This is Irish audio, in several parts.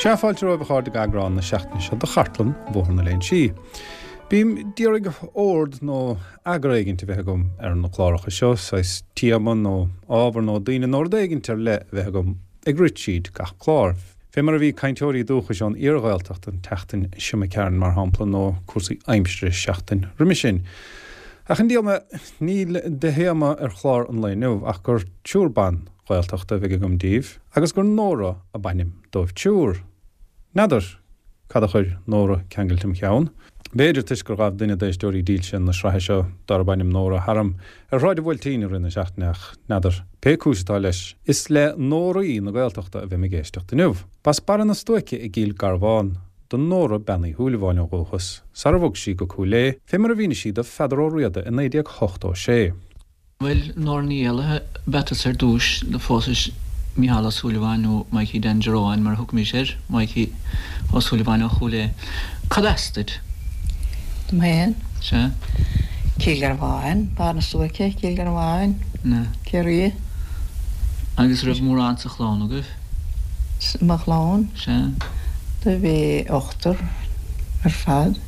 Sea, fáilte romhaibh a chairde go eagrán na seachtaine seo de Chartlann Bhóthar na Léinsí. Bím d'iarraidh ord nó eagar éigint a bheith agam ar na cláracha seo, saghas téama nó ábhar nó daoine nó rud éigint ar leith a bheith agam ag rith tríd gach clár. Fé mar a bhí cainteoirí dúchais ón iarGhaeltacht an tseachtain seo imigh tharainn, mar shampla, nó cúrsaí aimsire seachtain roimhe sin. Ach an diabhal mé, níl de théama ar chlár an lae inniu ach gur triúr ban Ghaeltachta a bheidh agam daoibh, agus gur Nóra ab ainm dóibh triúr. N'fheadar cad a chuir Nóra ceangailte im cheann? B'fhéidir toisc gur ghabh duine d'éisteoirí dílse na sraithe seo, darb ainm Nóra, tharam ar Shráid an Bhuailtín i rith na seachtaine ach n'fheadar. Pé cúis atá leis, is le Nóraí na Gaeltachta a bheidh mé ag éisteacht inniu. B'as Barra na Stuaice i gCill Garbhán do Nóra Bean Uí Shúilleabháin ó dhúchas, sara bhog sí go Cúil Aodha, fé mar a mhínigh sí do Pheadar Ó Riada i 1986. Bhuel, Nóra Ní Éallaithe ab ea tusa ar dtúis, do phósais Mícheál Ó Súilleabháin, nó Mikey Dan Joe Eoin mar a thugaimis air, Mikey Ó Súilleabháin ó Chúil Aodha. Cad as duit? Dom féin? Sea. Cill Gharbháin, Barr na Stuaice, Cill Gharbháin, Ciarraí. Agus raibh mórán sa chlann agaibh? Mo chlann? Sea. Do bhí ochtar ar fad,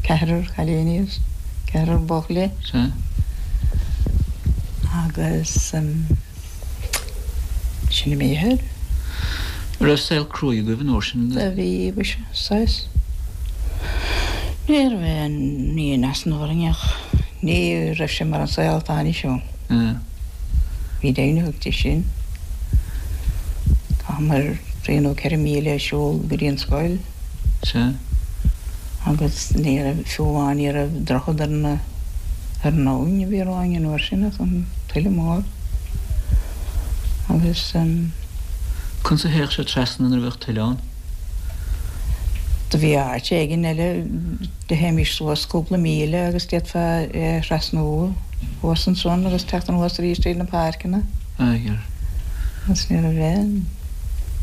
ceathrar cailíní agus ceathrar buachaillí. Sea. Agus sin an méid air. An raibh saol cruaidh agaibh an uair sin? Do bhí, mhuise, saghas. Ní raibh aon ní in easnamh orainn ach ní raibh sé mar an saol atá anois ann. Bhí deimhniú aige sin. Chaitheamar trí nó 4 míle ag siúl go dtí an scoil. Sea. Agus ní raibh, fiú amháin ní raibh droichead ar na, ar an abhainn a bhí romhainn an uair sin ach an tuile mór. Agus. Conas a théadh sibh trasna nuair a bheadh tuile ann? Do bhí áit éigin eile, do théimís suas cúpla míle agus d'fhéadfá é a thrasnú thuas ansan agus teacht anuas arís tríd na páirceanna. Aye. Agus ní raibh aon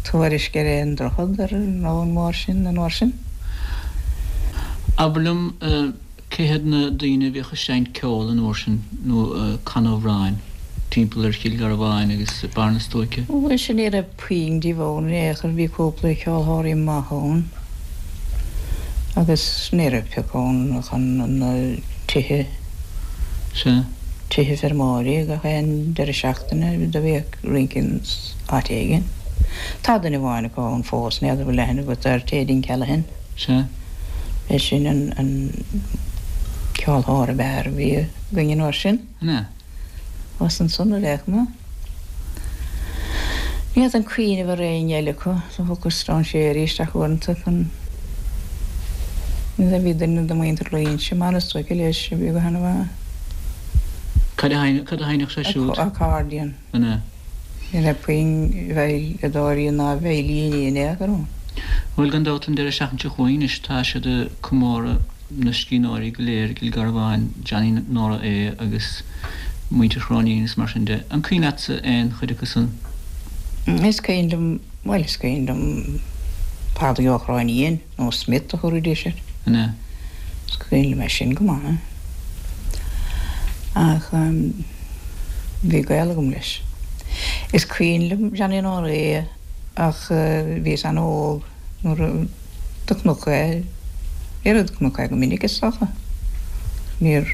tuairisc ar aon droichead ar an abhainn mhór sin an uair sin. Abair liom, cé hiad na daoine a bhíodh ag seinnt ceoil an uair sin nó ag canadh amhráin timpeall ar Chill Gharbháin agus Barr na Stuaice? Mhuise ní raibh puinn díobh ann in aon chor, bhí cúpla ceolthóirí maith ann agus ní raibh pioc ann chun na tithe. Sea. Tithe feirmeoirí gach aon deireadh seachtaine do bhíodh rince ins áit éigin. Tá duine amháin acu ann fós, n'fheadar an bhfuil aithne agat air, Téidín Callaghan. Sea. B'é sin an ceolthóir ab fhearr a bhí againn an uair sin. An ea? Thuas ansan ar aon chuma. Ní fhéadfainn cuimhneamh ar éinne eile acu. Do thiocfadh strainséirí isteach uaireanta chun. Bhí duine de mhuintir Loingsigh i mBarr na Stuaice leis a bhí go han-mhaith. Cad a sheinneadh sé siúd? Accordion. An ea? Ní raibh puinn veidhleadóirí ná veidhlíní in aon chor ann. Bhuel, gan dabht, an deireadh seachtaine seo chugainn anois, tá siad ag comóradh na scríbhneoirí go léir i gCill Gharbháin, Johnny Nóra Aodha agus muintir Chróinín is mar sin de. An cuimhin leatsa aon chuid acu san? Is cuimhin liom, bhuel, is cuimhin liom Pádraig Ó Cróinín, nó Smith a thabharfaidís air. An ea? Is cuimhin liom é sin go maith. Ach bhí gaol agam leis. Is cuimhin liom Johnny Nóra Aodha ach bhíos an-óg nuair a do chonac é. Ar do chonac é go minic is dócha. Níor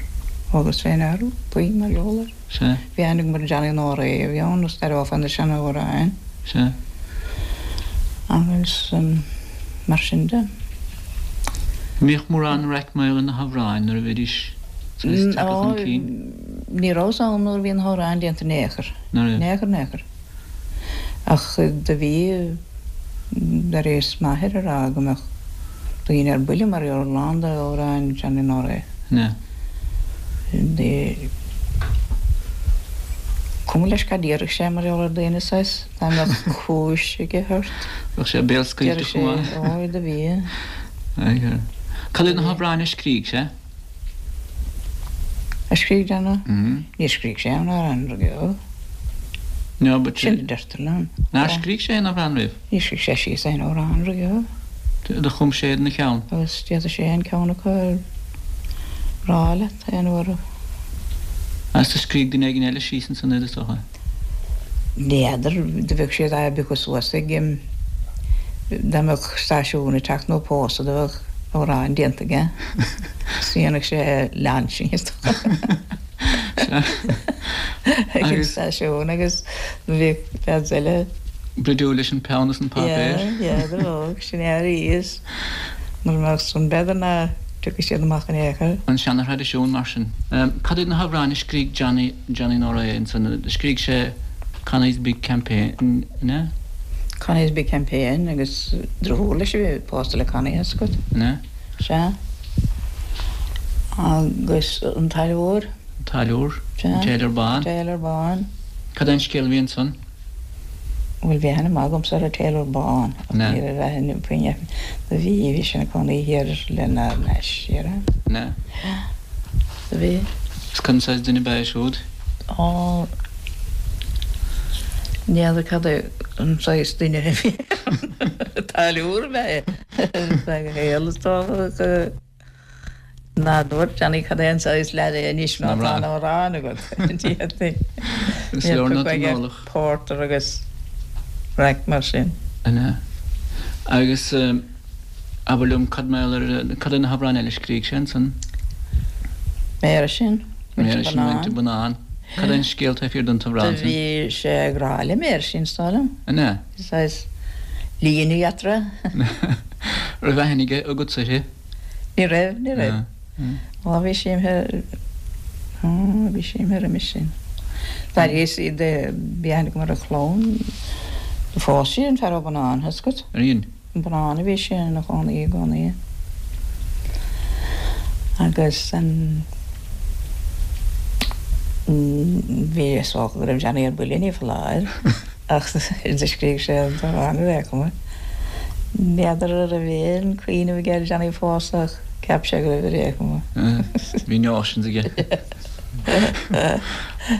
thógas fé ndeara puinn mar gheall air. Sea. Bhí aithne agam ar Johnny Nóra Aodha a bhí ann is d'aireofá na seanamhráin. Sea. Agus mar sin de. An mbíodh mórán raic mar gheall ar na hamhráin nuair a bhídís saghas tagtha chun cinn? Ní rabhas ann nuair a bhí na hamhráin déanta in aon chor. Ná raibh? In aon chor, in aon chor. Ach do bhí, d'airíos m'athair a rá go mbeadh daoine ar buile mar gheall ar a lán d'amhráin Johnny Nóra Aodha. An ea? Cuma leis cad déarfadh sé mar gheall ar daoine saghas, dá mbeadh cúis aige ort. Bheadh sé béalscaoilte chomh maith. Déarfadh sé, ói do bhí. Cad iad na hamhráin a scrígh sé? A scrígh Johnny? Níor scrígh sé aon amhrán riamh. No, but. Sin a deirtear liom. Nár scrígh sé aon amhrán riamh? Níor scrígh sé síos aon amhrán riamh. Do chum sé iad ina cheann. Agus d'fhéadfadh sé aon ceann acu a rá leat aon uair a. Agus do scrígh duine éigin eile síos ansan iad is dócha. N'fheadar, do bheadh siad á bpiocadh suas ag. Dá mbeadh stáisiún ag teacht nó pósadh do bheadh amhrán déanta aige. Is dhéanfadh sé launching is dócha ag an stáisiún agus do bhíodh leaids eile. Bruidiúil leis an peann is an páipéar. Yeah, yeah, do bheadh, sin é arís. Mura mbeadh san b'fhéidir ná tiocfadh siad amach in aon chor. An seana-thraidisiún mar sin. Cad iad na hamhráin a scrígh Johnny, Johnny Nóra Aodha ansan? Scrígh sé Connie's Big Campaign, an ea? Connie's Big Campaign agus deartháir leis a bhí pósta le Connie, tá 's agat. An ea? Sea. Agus an Táilliúir. An Táilliúir. Sea. An Tailor Bán. An Tailor Bán. Cad é an scéal a bhí ansan? Bhuel, bhí aithne maith agamsa ar an Tailor Bán ach ní raibh aithne puinn do bhí, bhí sé ina cónaí thiar lenár n-ais thiar. An ea? Sea. Do bhí. Is cad saghas duine ab ea é siúd? Á, n'fheadar cad é an saghas duine a bhí ann. Táilliúir ab ea é. Feadh a shaoil is dócha ach ná dúirt Johnny cad é an saghas leaid é anois má tá an amhrán agat. Is leor ná tú eolach. Porter agus raic mar sin. An ea? Agus abair liom cad mar gheall ar, cad é na hamhráin eile a scrígh sé ansan? Méara sin, Méara sin, Muintir Bonnán. Cad é an scéal taobh thiar den t-amhrán sin? Do bhí sé ag rá le Méara sin, is dóigh liom. An ea? Saghas líne eatarthu. Raibh aithne aige agatsa uirthi? Ní raibh, ní raibh. Á bhí sé imithe, á bhí sé imithe roimis sin. D'éiríos, bhí aithne agam ar a chlann, do phós sí an fear ó Bonnán, tá 's agat. Ar dhein? I mBonnán a bhí sé ina chónaí i gcónaí. Agus an, bhí, is dócha go raibh Johnny ar buile, ní foláir. Ach do scrígh sé an t-amhrán ar aon chuma. N'fheadar an raibh aon cuimhneamh aige ar Johnny a phósadh ach cheap sé go raibh ar aon chuma. Bhí notions aige.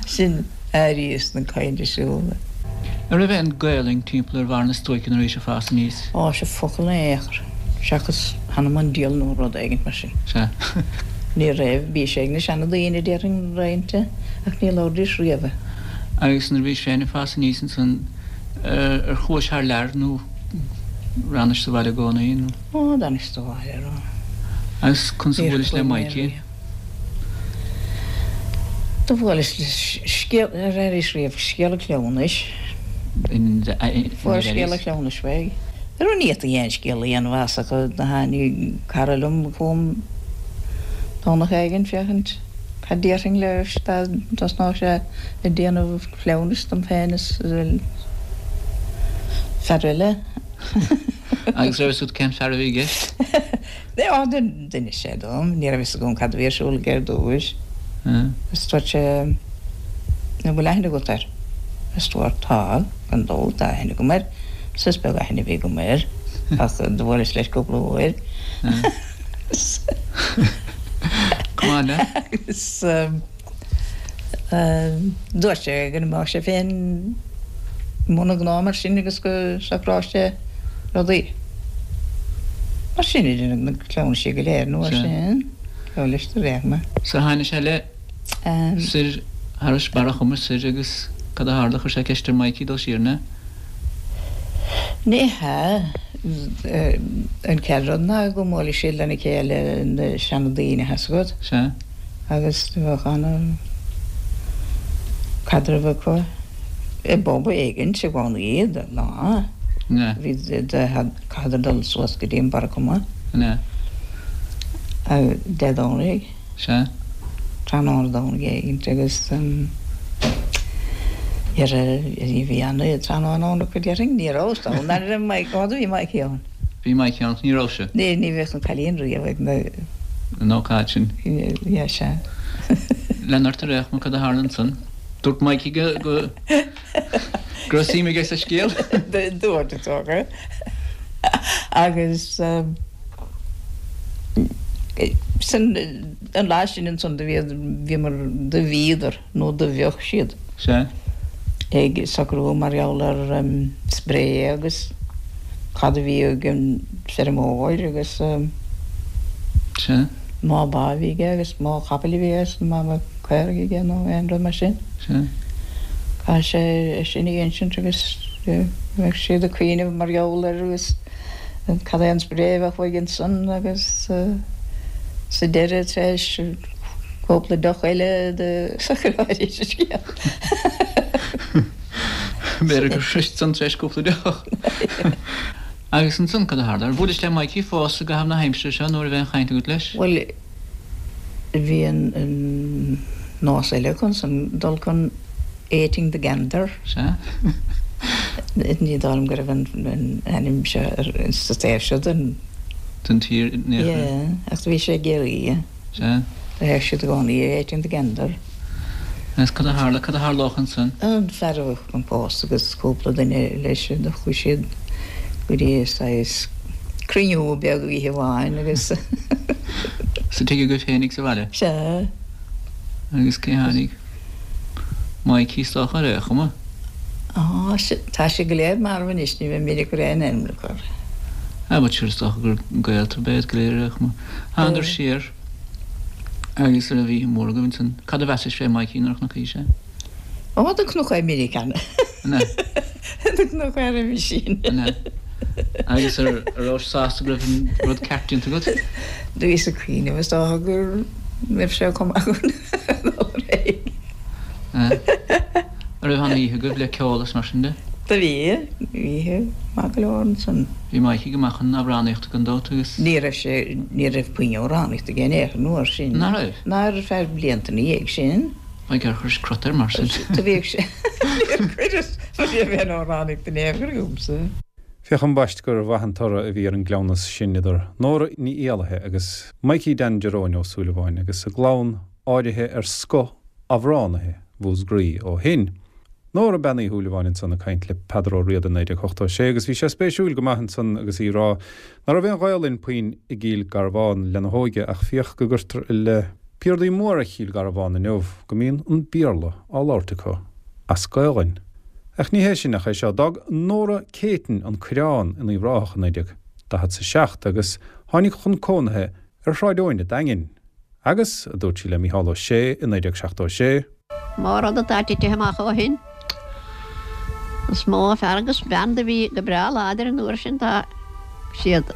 Sin airíos na cainte siúd. An raibh aon Gaelainn timpeall ar Bharr na Stuaice nuair a bhís ag fás aníos? Á, sea, focal in aon chor, seachas th'anam 'on diabhal nó rud éigint mar sin. Sea. Ní raibh, bhí sé ag na seana-daoine déarfainn roinnte, ach ní labhraídís riamh í. Agus nuair a bhís féin ag fás aníos ansan, ar chuais thar lear nó ar fhanais sa bhaile i gcónaí nó? Ó, d'fhanais sa bhaile, ar. Agus conas a bhuailis le Mikey? Do bhuaileas le scéal, ar airíos riamh scéal an chleamhnais? Fuair scéal an chleamhnais uaidh. Ar ní fhéadfaí aon scéal a dhéanamh as ach do tháinig cara liom chugam Domhnach éigin féachaint Cad déarfainn leis dá dtosnódh sé ag déanamh cleamhnais dom féin is fear eile? Agus raibh fhios agat cén fear a bhí i gceist? Á, d'inis sé dom. Ní raibh fhios agam cad a bhí ar siúl aige ar dtúis. Is dúirt sé, An bhfuil aithne agat air? Is dúirt, Tá, gan dabht, tá aithne agam air. Is is beag aithne a bhí agam air, ach do bhuaileas leis cúpla uair. Come on now. Agus dúirt sé go mbeadh sé féin i mbun a ghnó mar sin agus go socródh sé rudaí. Mar sin a deineadh na cleamhnaisí go léir nó mar sin. Gabh leis do réir mar. So tháinig sé le soir thairis Barra Choma soir agus cad a tharla, chuir sé ceist ar Mikey dul siar, an ea? Ní hea. An chéad rud ná go mbuaileadh siad lena chéile, na seandaoine, tá 's agat. Sea. Agus do bheadh ana chaidreamh acu i bpub éigint i gcónaí, lá. An ea? Bhí, chaitheadar dul suas go dtí an Barra Coma. An ea? Dé Domhnaigh. Sea. Tráthnóna Domhnaigh éigint agus bhí ana tráthnóna ann acu déarfainn. Ní raibh fhios agam an raibh Mike, ó do bhí Mikey ann. Bhí Mikey ann ach ní raibh sé. Ní, ní bheadh an cailín riamh ag na. An ócáid sin. Yeah, sea. Lean ort ar aon chuma cad a tharla ansan? Dúirt Mikey go, go, go raibh suim aige sa scéal? Dúirt, is dócha. Agus. Sin an lá sin ansan do bhíomar, do bhíodar, nó do bheadh siad. Sea. ag socrú mar gheall ar spré agus cad a bhí ag an feirmeoir agus. Sea. má ba a bhí aige agus má chapaill a bhí aige agus má bheadh caoraigh aige nó aon rud mar sin. Sea. Caithfidh sé é sin a insint agus. Bheadh siad ag cuimhneamh mar gheall air agus cad é an spré a bheadh uaidh ansan agus sa deireadh tar éis cúpla deoch eile do shocróidís an scéal. B'fhéidir gur shrois san tar éis cúpla deoch. Agus ansan cad a tharla? Ar bhuailis le Mikey fós i gcaitheamh na haimsire seo nó an raibh aon chaint agat leis? Bhuel, bhí an nós eile acu ansan dul chun Eighting the Gander. Sea. Ní dóigh liom go raibh an ainm seo sa taobh seo den. den tír in aon chor. Yeah, ach bhí sé i gCiarraí. Sea. Do théadh siad i gcónaí ag Eighting the Gander. Agus cad a tharla, cad a tharlódh ansan? An fear a bheadh chun pósadh agus cúpla duine leis, do chuaigh siad go dtí saghas cruinniú beag oíche amháin agus. Sa tigh agaibh féinig sa bhaile? Sea. Agus cé tháinig? Mikey is dócha, ar aon chuma. Á, tá siad go léir marbh anois, ní bheidh mire ag cur aon ainm acu orthu. Á, but sure, is dócha gur gaolta ab ea iad go léir ar aon chuma. Thángadar siar agus an raibh oíche mhór agaibh ansan. Cad a mheasais fé Mikey nuair a chonaicís é? Ó, do chonac é minic cheana. An ea? Do chonac é roimhe sin. An ea? Agus ar rabhais sásta go raibh an rud ceart déanta agat? Do bhíos ag cuimhneamh, is dócha go raibh sé chomh maith dul ar aghaidh. An raibh an-oíche agaibh le ceol is mar sin de? Do bhí, bhí oíche maith go leor ansan. Bhí Mikey go maith chun amhránaíochta gan dabht agus. Ní raibh sé, ní raibh puinn amhránaíochta aige in aon chor an uair sin. Ná raibh? Ná ar feadh blianta ina dhiaidh sin. Ag ar chuiris crot air mar sin? Do bhíodh sé. Níor chuireas, mar ní raibh aon amhránaíocht in aon chor agamsa. Féach ambaist gur mhaith an toradh a bhí ar an gcleamhnas sin idir Nóra Ní Éallaithe agus Mikey Dan Jeróin Ó Súilleabháin agus a gclann áirithe ar scoth amhránaithe Mhúscraí ó shin. Nóra Bean Uí Shúilleabháin ansan ag caint le Peadar Ó Riada i 1986 agus bhí sé spéisiúil go maith ansan agus í ag rá ná raibh aon Ghaolainn puinn i gCill Garbhán lena hóige ach féach go gcuirtear i leith piardaí móra Chill Garbhán inniu go mbíonn an Béarla á labhairt acu as Gaolainn. Ach ní hé sin ach é seo, d'fhág Nóra Céitinn an Coireán in Uíbh Ráthach i 1947 agus tháinig chun cónaithe ar Shráid Eoin a' Daingin. Agus, a dúirt sí le Mícheál Ó Sé i 1976. Mó rud atá titithe amach ó shin. Is mó fear agus bean do bhí go breá láidir an uair sin tá siad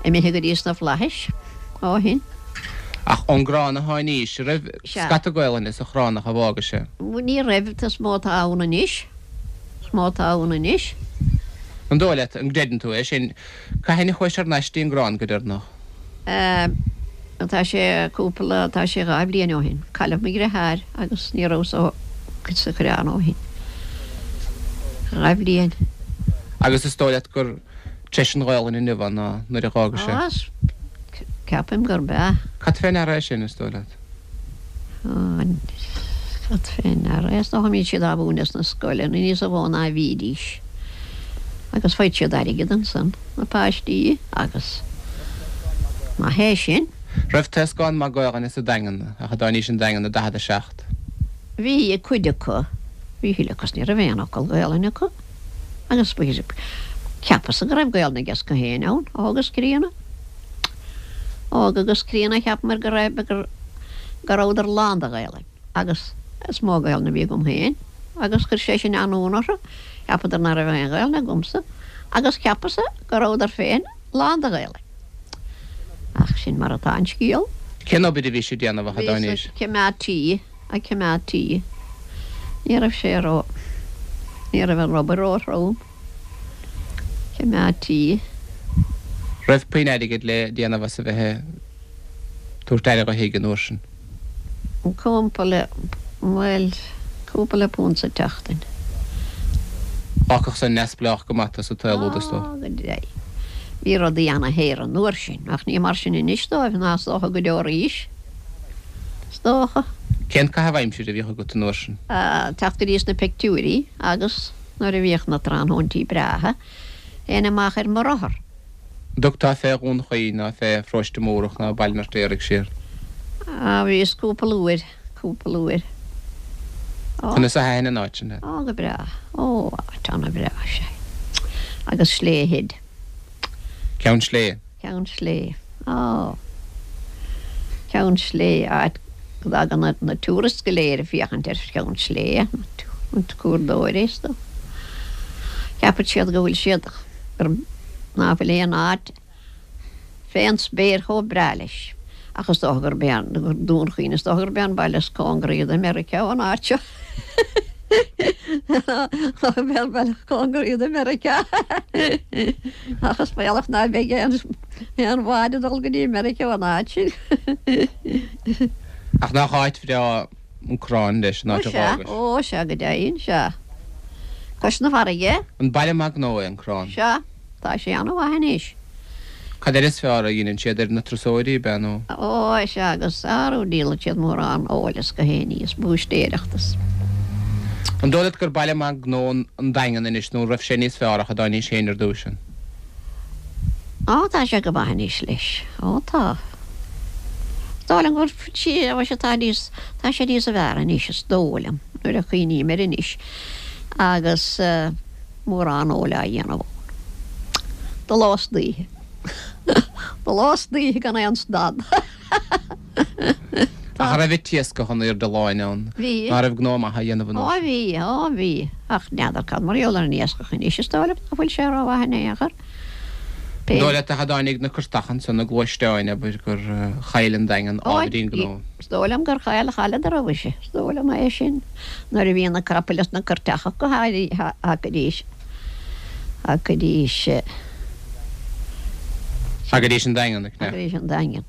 imithe go dtí sna flaithis ó shin. Ach ón gCorrán a tháinís, an raibh scata Gaolainne sa Chorránach a bhfága sé? Ní raibh, is mó atá ann anois, is mó atá ann anois. An dóigh leat, an gcreideann tú é sin, cathain a chuaigh sé thar n-ais dtí an gCorrán go deireanach? Tá sé cúpla, tá sé 2 bhliain ó shin. Cailleadh mo dhriotháir agus ní rabhas ó sa Choireán ó shin. 2 bhliain. Agus is dóigh leat gur treise an Ghaolainn inniu ann ná nuair a dh'fhága sé? Á, ceapaim gurb ea. Cad fé ndeara é sin, is dóigh leat? Cad fé ndeara é? Is dócha go mbíonn siad á mhúineadh sna scoileanna níos mó ná a bhídís. Agus faigheann siad airgead ansan, na páistí, agus maith é sin. Raibh taoscán maith Gaolainne sa Daingean ach a dtáinís an Daingean i 47? Bhí, ag cuid acu. Bhí a thuilleadh acu is ní raibh aon fhocal Gaolainne acu. Agus cheapas-sa go raibh Gaolainn aige acu féin ann, óg is críonna. Óg agus críonna cheapamair go raibh, go rabhadar lán de Ghaolainn agus is mó Gaolainn a bhí agam féin agus chuir sé sin an-ionadh orthu, cheapadar ná raibh aon Ghaolainn agamsa agus cheapas-sa go rabhadar féin lán de Ghaolainn. Ach sin mar atá an scéal. Cén obair a bhí sé ag déanamh ach a dtáinís? Bhí sé ag coimeád tí, ag coimeád tí. Ní raibh sé ró, ní raibh an obair ró-throm. Coimeád tí. Raibh puinn airgid le déanamh as a bheith ag tabhairt aire dho thigh an uair sin. Cúpla, bhuel, cúpla punt sa tseachtain. D'fhágfadh san neamhspleách go maith tú sa tsaol úd, is dóigh. Á, go deimhin. Bhí rudaí ana-shaor an uair sin, ach ní mar sin anois dóibh, ná is dócha go deo arís. Is dócha. Cén caitheamh aimsire a bhíodh agat an uair sin? Teacht go dtí sna pictiúirí agus. Nuair a bhíodh na tráthnóintí breátha, théinn amach ar mo rothar. An dtugtá fé Dhún Chaoin ná fé Pharóiste Múrach ná Baile an Fheirtéaraigh siar? Á, bhíos cúpla uair, cúpla uair. Á. Conas a thaitin an áit sin leat? Á, go breá. Ó, áit ana-bhreá, sea. Agus Slea Head. Ceann Sléibhe. Ceann Sléibhe. Á. Ceann Sléibhe, áit go dtagann na tourists go léir ag féachaint ar Cheann Sléibhe, na curadóirí is dóigh. Ceapann siad go bhfuil siad, gur, ná fuil aon áit fén spéir chomh breá leis. Ach is dócha gurb é an, Dún Chaoin, is dócha gurb é an baile is cóngaraí do Mheiriceá an áit seo. Gurb é an baile is cóngaraí do Mheiriceá. Ach is baolach ná beidh aon, aon bhád ag dul go dtí Meiriceá ón áit sin. Ach nach áit bhreá an Corrán leis, an áit a dh'fhágais. Ó sea, ó sea, go deimhin, sea. Cois na farraige. An baile maith gnó é an Corrán? Sea. Tá sé an-mhaith anois. Cad eile is fearr a dheineann siad ar na turasóirí, ab ea, nó? Ó, sea, agus arú, díolann siad mórán óil is gach aon ní, is búistéireacht is. An dóigh leat gur baile maith gnó an Daingean anois, nó an raibh sé níos fearr ach a dtáinís féin ar dtúis ann? Ó, tá sé go maith anois leis. Ó, tá. Is dóigh liom go bhfuil, ó, sea, tá níos, tá sé níos fearr anois, is dóigh liom, nuair a chuimhním air anois. Agus. mórán óil á dhéanamh ann. De ló is d'oíche. De ló is d'oíche gan aon stad. Ach an raibh an t-iascach in airde láin ann? Bhí. Ná raibh gnó maith á dhéanamh an uair sin? Ó bhí, ó bhí. Ach n'fheadar cad mar gheall ar an iascach anois, is dóigh liom ná fuil sé rómhaith in aon chor. An dóigh leat ach a dtáinig na cuirteacha ansan, na gluaisteáin, abair, gur chaill an Daingean ábhairín gnó? Is dóigh liom gur chaill, chailleadar amhaise, is dóigh liom é sin, nuair a bhí na capaill is na cuirteacha acu thagaidís, thagaidís. Thagaidís an Daingean, ag Thagaidís an Daingean.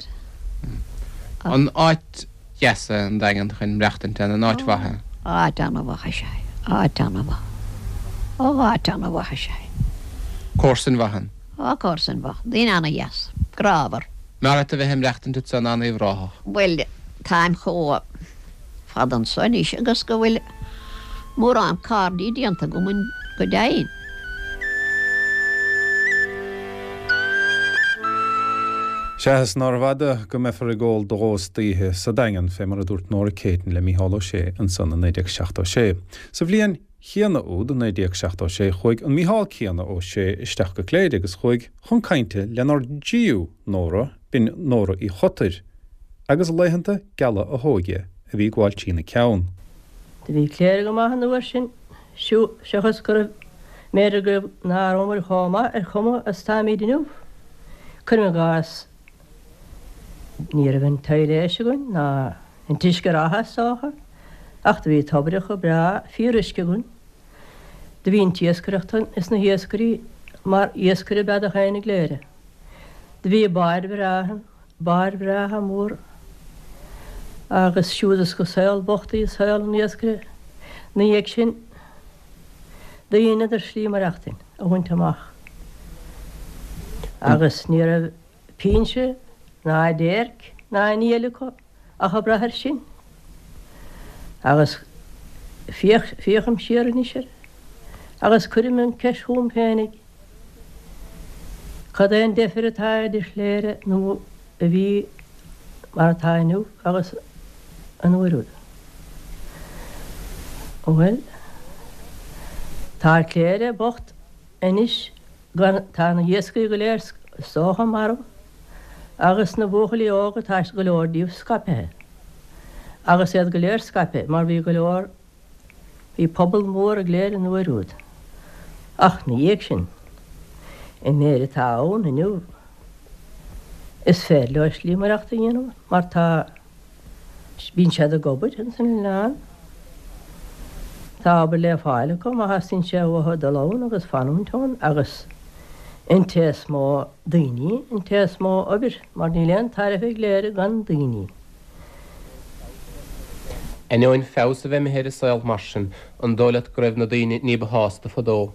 An áit dheas é an Daingean chun maireachtaint ann, an áit mhaith é? Áit ana-mhaith is ea é, áit ana-mhaith. Ó, áit ana-mhaith is ea é. Comharsain mhaith ann? Ó, comharsain mhaith, daoine ana-dheas, grámhar. Mb'fhearr leat a bheith ag maireachtaint anso ná in Uíbh Ráthach? Bhuel, táim chomh fada anso anois agus go bhfuil mórán cairdí déanta agam go deimhin. Sea, is nárbh fhada go mbeifear ag ól de dhó is d'oíche sa Daingean, fé mar a dúirt Nóra Céitinn le Mícheál Ó Sé ansan i 1976. Sa bhliain chéanna úd, 1976, chuaigh an Mícheál céanna Ó Sé isteach go Cléire agus chuaigh chun cainte lenár dtríú Nóra, b'in Nóra Uí Chotair, agus laethanta geala a hóige a bhí ag gabháil trína ceann. Do bhí Cléire go maith an uair sin, seachas go raibh, mb'fhéidir go raibh, ná rabhamar chomh maith ar chuma is táimíd inniu. Cuirim i gcás, ní raibh an tsail againn ná an t-uisce reatha is dócha, ach do bhí toibreacha breá fíoruisce againn. Do bhí an t-iascaireacht ann is na hiascairí mar iascaire ab ea do féin i gCléire. Do bhí báid bhreátha ann, báid bhreátha móra. Agus siúd is gur saol bocht í saol an iascaire 'na dhiaidh sin do dheineadar slí maireachtain a bhaint amach. Agus ní raibh pinsean ná déirc ná aon ní eile acu ach ag brath air sin. Agus féach, féachaim siar anois air agus cuirim an ceist chugam féinig, cad é an deifir atá idir Chléire nó a bhí mar atá inniu agus an uair úd? Bhuel, tá Cléire bocht anois gan, tá na hiascairí go léir is dócha marbh agus na buachaillí óga tá go leor díobh scaipthe agus iad go léir scaipthe mar bhí go leor, bhí pobal mór i gCléire an uair úd. Ach 'na dhiaidh sin, an méid atá ann inniu, is féidir leo slí maireachta a dhéanamh mar tá, Bíonn siad ag obair ins an oileán. Tá obair le fáil acu má theastaíonn sé uathu dul ann agus fanúint ann agus an té is mó daoine, an té is mó obair mar níl aon tairbhe i gCléire gan daoine. Ainneoin feabhas a bheith imithe ar an saol mar sin, an dóigh leat go raibh na daoine ní ba shásta fadó?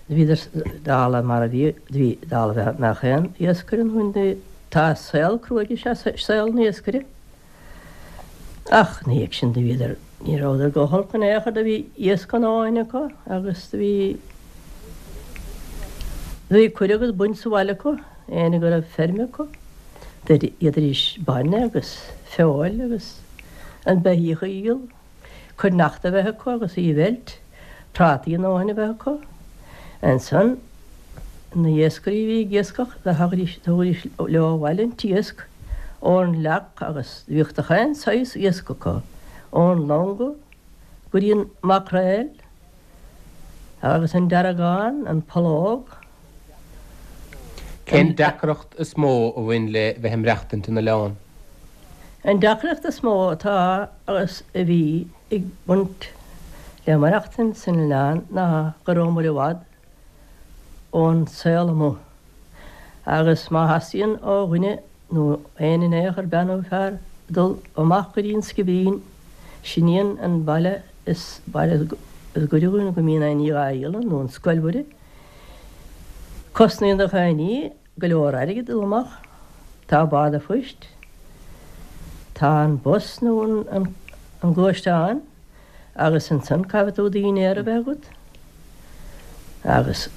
Bhíodar dála mar a bhí, bhí dála a bheadh aon iascaire nó tá saol cruaidh is ea saol an iascaire. Ach ina dhiaidh sin do bhíodar, ní rabhadar go holc in aon chor, do bhí iasc a ndóthain acu agus do bhí, do bhí cur agus baint sa bhaile acu, éinne go raibh feirm acu, d'fhéadaidís bainne agus feoil agus an beithíoch a dhíol. Cruithneacht a bheith acu agus í a mheilt, prátaí a ndóthain a bheith acu. Ansan, na hiascairí a bhí ag iascach, do thagaidís, thugaidís leo abhaile an t-iasc ón leac agus bhíodh de chaon saghas iasc acu, ón longa go dtí an maicréal. Agus an deargán, an pollóg. Cén deacracht is mó a bhain le bheith ag maireachtaint in oileán? An deacracht is mó atá agus a bhí ag baint le maireachtaint san oileán ná go rabhamar i bhfad ón saol amuigh agus má theastaíonn ó dhuine nó éinne in aon chor, bean nó fear, dul amach go dtí an scibín, sin í an baile is baile is gaire dhúinn go mbíonn aon ní dhá dhíol ann, nó an Scoil Mhuire. Cosnaíonn do chaon ní go leor airgid dul amach. Tá bád a phoist, tá an bus nó an gluaisteán agus ansan caithfidh tú dinnéar a bheith agat agus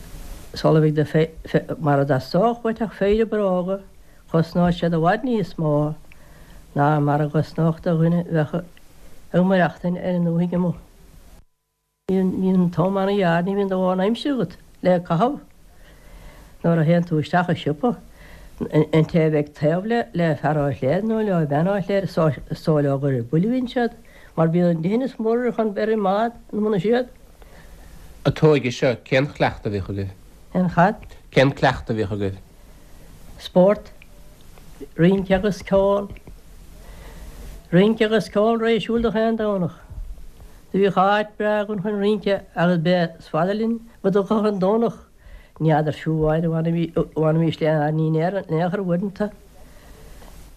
sula bhfaighidh do fe, mara dteastódh uait ach péire bróga, chosnódh siad i bhfad níos mó ná mar a gcosnódh do dhuine a bheadh ag maireachtaint ar an ndúthaigh amuigh. Bíonn an t-am an-ghearr, ní bhíonn do dhóthain aimsire agat le caitheamh. Nuair a théann tú isteach i siopa, an té a bheidh taobh le fear ó Chléire nó le bean ó Chléire, is dóigh leo gur ar buile a bhíonn siad, mar bíonn an dithneas mór chun bheith ar an mbád ina mbun siad. An t-óige seo, cén chleachtadh a bhíodh agaibh? Cén chad? Cén cleachtadh a bhíodh agaibh? Spórt, rince agus ceol. Rince agus ceol réidh siúl do chaon Domhnach. Do bhíodh áit breá againn chun rince agus b'é is fada linn go dtiocfadh an Domhnach. Ní fheadar fiú amháin an bhfanaimis le ár ndinnéar in aon chor uaireanta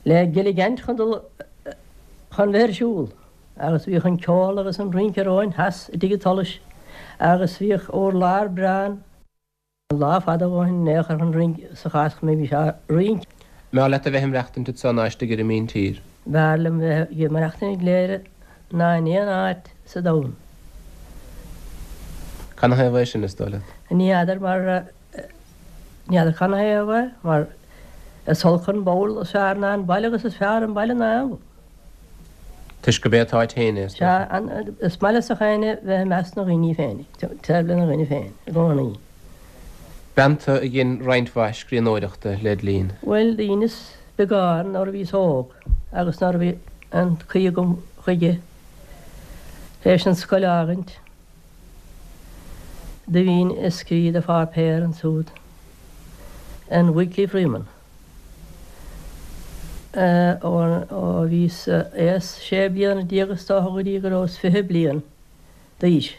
le gilligeaint chun dul chun bheith ar siúl. Agus bhíodh an ceol agus an rince romhainn theas i dtigh an tSolais agus bhíodh urlár breá ann. Lá fada ó shin in aon chor chun rince sa chás go mbeimís á rince. Mb'fhearr leat a bheith ag maireachtaint anso ná istigh ar an míntír? B'fhearr liom bheith ag maireachtaint i gCléire ná in aon áit sa domhan. Canathaobh é sin, is dóigh leat? Ní fheadar mar, ní fheadar canathaobh é, mar is olc an ball is fearr ná an baile agus is fearr an baile ná aon bhall. Toisc gurb é an t-áit féin é, is dócha. Sea, is maith leis an éinne bheith i measc na ndaoine féin, taobh lena dhaoine féin, i gcónaí. B'ean tú a dhein roinnt mhaith scríbhneoireachta led linn. Bhuel, dheineas beagán nuair a bhíos óg agus nuair a bhí an chaoi agam chuige, théis an scoil a fhágaint, do bhínn ag scríobh do pháipéar ansúd, an Weekly Freeman. Ó bhíos aos sé bliana is dócha go dtí go rabhas 20 bliain d'aois.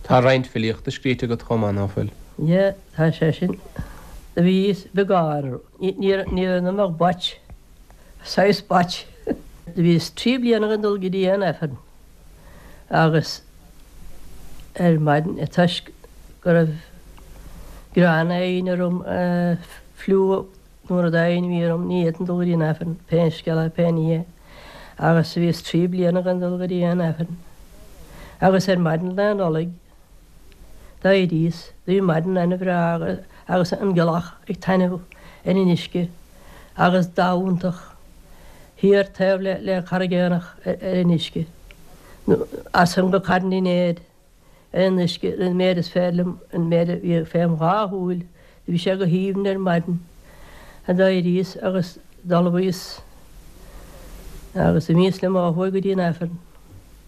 Tá roinnt filíochta scríte agat chomh maith, ná fuil? Yeah, tá sé sin. Do bhíos beagán, ní raibh ionam ach bait, saghas bait. Do bhíos 3 bliana gan dul go dtí aon Aifreann agus ar maidin toisc go raibh grean éigin orm, fliú nó rud éigin a bhí orm, ní fhéadfainn dul go dtí an Aifreann, pé scéal é, pé ní é, agus bhíos 3 bliana gan dul go dtí aon Aifreann. Agus ar maidin Lá Nollag d'éiríos, do bhí maidin ana-bhreá agus an ghealach ag taitneamh ar an uisce agus dath iontach thiar taobh le Carraig Éanach ar an uisce, nó as san go Carn Fheinéir ar an uisce, an méid is féidir liom, an méid a bhí fém dhá shúil, do bhí sé go haoibhinn ar maidin. D'éiríos agus d'ullmhaíos agus d'imíos liom ó thuaidh go dtí an Aifreann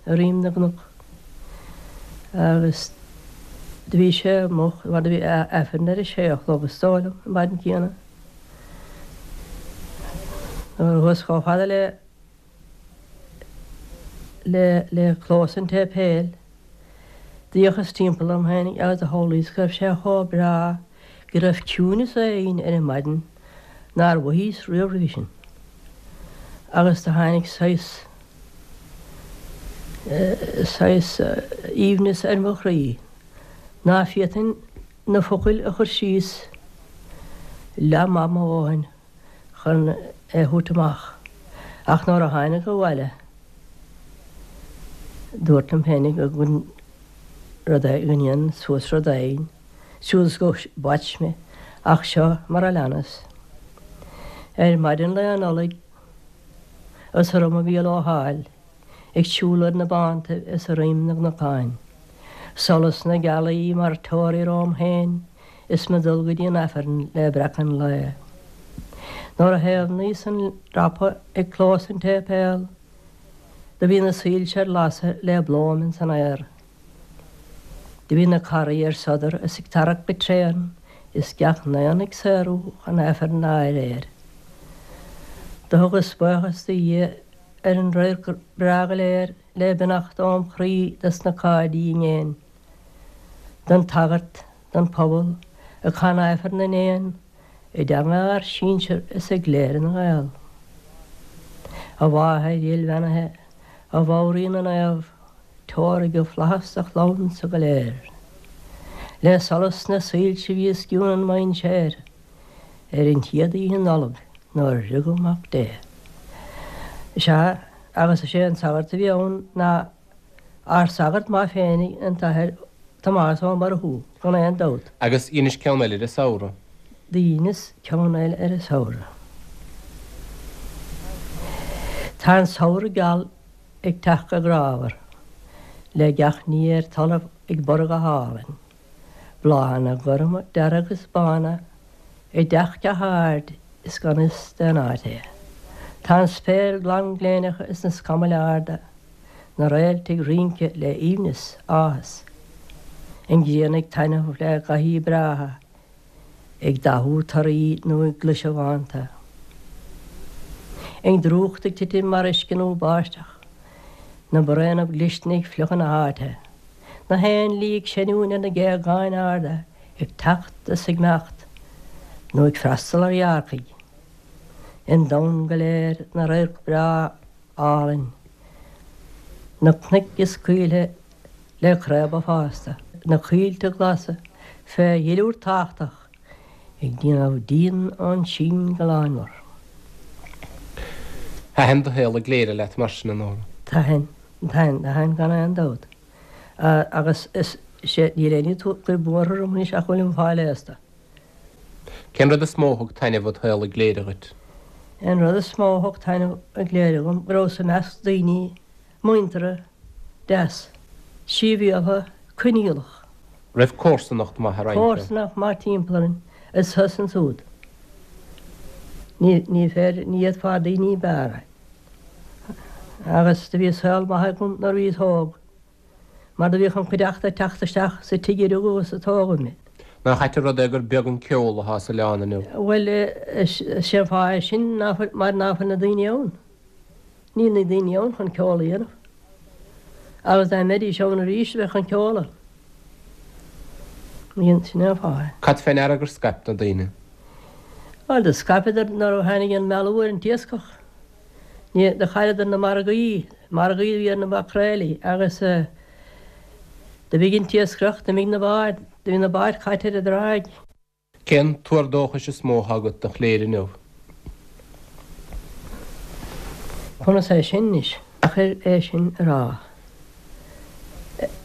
i Rinn na gCnoc agus do bhí sé moch mar do bhí Aifreann ar a sé a chlog is dóigh liom an mhaidin chéanna. Nuair a chuas chomh fada le le le clós an tséipéil, d'fhéachas timpeall orm féinig agus do shamhlaíos go raibh sé chomh breá go raibh ciúineas éigin ar an maidin nár mhothaíos riamh roimhe sin. Agus do tháinig saghas saghas aoibhneas ar mo chroí ná féadfainn na focail a chur síos leath maith mo dhóthain chun é a thabhairt amach. Ach nuair a tháinig abhaile dúrt liom féinig go gcuirfinn rud éigin, go ndéanfainn suas rud éigin, siúd is gur bait mé, ach seo mar a leanas. Ar maidin Lá Nollag is orm a Mhícheál Ó hÁil, ag siúl ar na bántaibh is i roim na gcnocáin. Solas na gealaí mar teoraí romham féin is me dul go dtí an Aifreann le breacadh an lae. Nuair a thaobhnaíos an dreapadh ag clós an tséipéil do bhí na soilse ar lasadh le blóim ins an aer. Do bhí na caraí ar sodar is ag tarrac go tréan is gach n-aon ag saothrú chun Aifreann a aréir. Do thugas buíochas do Dhia ar an radharc breá go léir le beannacht óm chroí dos na cairde i ngéin, don tsagart, don phobal, ag canadh Aifreann na n-éan i dteanga ár sinsear is i gCléire na nGael. A Mháthair dhil bheannaithe, a Mhadhraí na Naomh, tabhair i bhflaitheas do chlann-sa go léir. Le solas na soilse a bhí os cionn an mhainséir ar an chéad oíche Nollag nuair a rugadh Mac Dé. Is ea, agus is é an sagart a bhí ann ná Ár sagart maith féinig, an tAthair Tomás Ó Murchú, gan aon dabht. Agus dheinis ceann eile ar an samhradh. Dheineas ceann eile ar an samhradh. Tá an samhradh geal ag teacht go grámhar, le gach ní ar talamh ag borradh go hálainn, bláthanna gorma, dearga is bána ag teacht go hard is gan fhios d'aon áit é. Tá an spéir glan gléineach is na scamaill arda. Na réalta ag rince le aoibhneas, áthas. An ghrian ag taitneamh le gothaí breátha, ag dathú torthaí nó ag gluaiseacht bhánta. An drúcht ag titim mar uisce nó báisteach. Na braonaibh glisne ag fliuchadh na háite. Na héanlaith ag seiniúint ar na géagáin arda, ag teacht is ag imeacht, nó ag freastal ar ghearrcaigh. An domhan go léir 'na radharc breá álainn, na cnoic is coillthe le craobha fásta, na coillte glasa fé dhuilliúr tábhachtach ag déanamh díon ón sín go lánmhar. Thaitin do shaol i gCléire leat mar sin, a Nóra? Thaitin, thaitin, thaitin gan aon dabht. Agus is é, níl aon ní cuir buartha orm anois ach go bhfuilim ag fáil aosta. Cén rud is mó a thug taitneamh id shaol i gCléire dhuit? An rud is mó a thug taitneamh i gCléire dhom, go rabhas i measc daoine muinteartha, deas, sibhialtha, coinníollach. Raibh comharsanacht maith ar aon chor? Comharsanacht maith timpeall orainn, is thuas ansúd. Ní, ní féidir, ní fhéadfá daoine ní b'fhearr a. Agus do bhí saol maith agam nuair a bhíos óg. Mar do bhíodh an chuideachta ag teacht isteach sa tigh a rugadh is a tógadh mé. Nach ait an rud é gur beag an ceol atá sa oileán inniu? Bhuel, is é an fáth é sin ná fuil, mar ná fuil na daoine ann. Níl na daoine ann chun ceol a dhéanamh. Agus dá mbeidís ann arís, bheadh an ceol ann. Sin é an fáth é. Cad fé ndeara gur scaip na daoine? Bhuel, do scaipeadar nuair a tháinig an meathlú ar an t-iascach. Ní, do chailleadar na margaí, margaí a bhí ar na maicréilí agus d'imigh an t-iascaireacht, d'imigh na báid, do bhí na báid caite ar an dtráigh. Cén tuar dóchais is mó atá agat do Chléire inniu? Conas é sin anois? Deacair é sin a rá.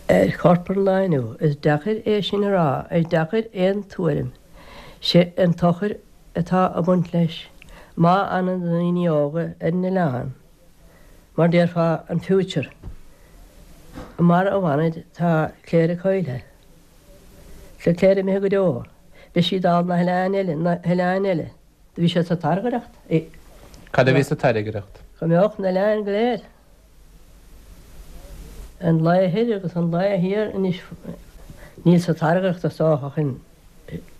Ar chorp an lae inniu, is deacair é sin a rá, is deacair aon tuairim. Sé an tsochar atá ag baint leis má fhanann na daoine óga ar an oileán, mar déarfá an future. Mara bhfanaid tá Cléire caillte. Tá Cléire imithe go deo. Beidh sí dála na hoileáin eile, na hoileáin eile. Do bhí sé sa tairngreacht. Cad a bhí sa tairngreacht? Go mbeadh na hoileáin go léir. An Laoi Thoir agus an Laoi Thiar anois níl sa tairngreacht is dócha ach an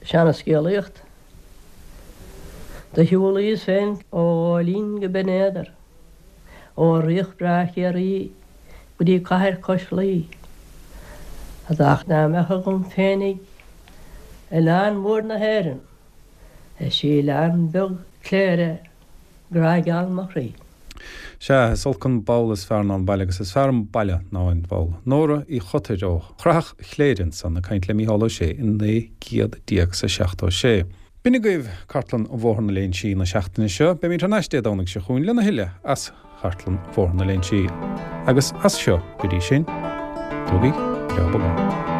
seanascéalaíocht. Do shiúlaíos féin ó Ghóilín go Binn Éadair, ó Ríocht breá Chiarraí go dtí cathair cois Laoi. Ach dá mbeadh agam féinig oileán mór na hÉireann, is í oileán beag Cléire grá geal mo chroí. Sea, is olc an ball is fearr ná an baile agus is fearr an baile ná an ball. Nóra Uí Chotair ó Chrathach Chléire ansan ag caint le Mícheál Ó Sé in 1976. B'in agaibh Cartlann Bhóthar na Léinsí na seachtaine seo. Beimid thar n-ais Dé Domhnaigh seo chugainn lena thuilleadh as Chartlann Bhóthar na Léinsí. Agus as seo go dtí sin, tógaigí breá bog é.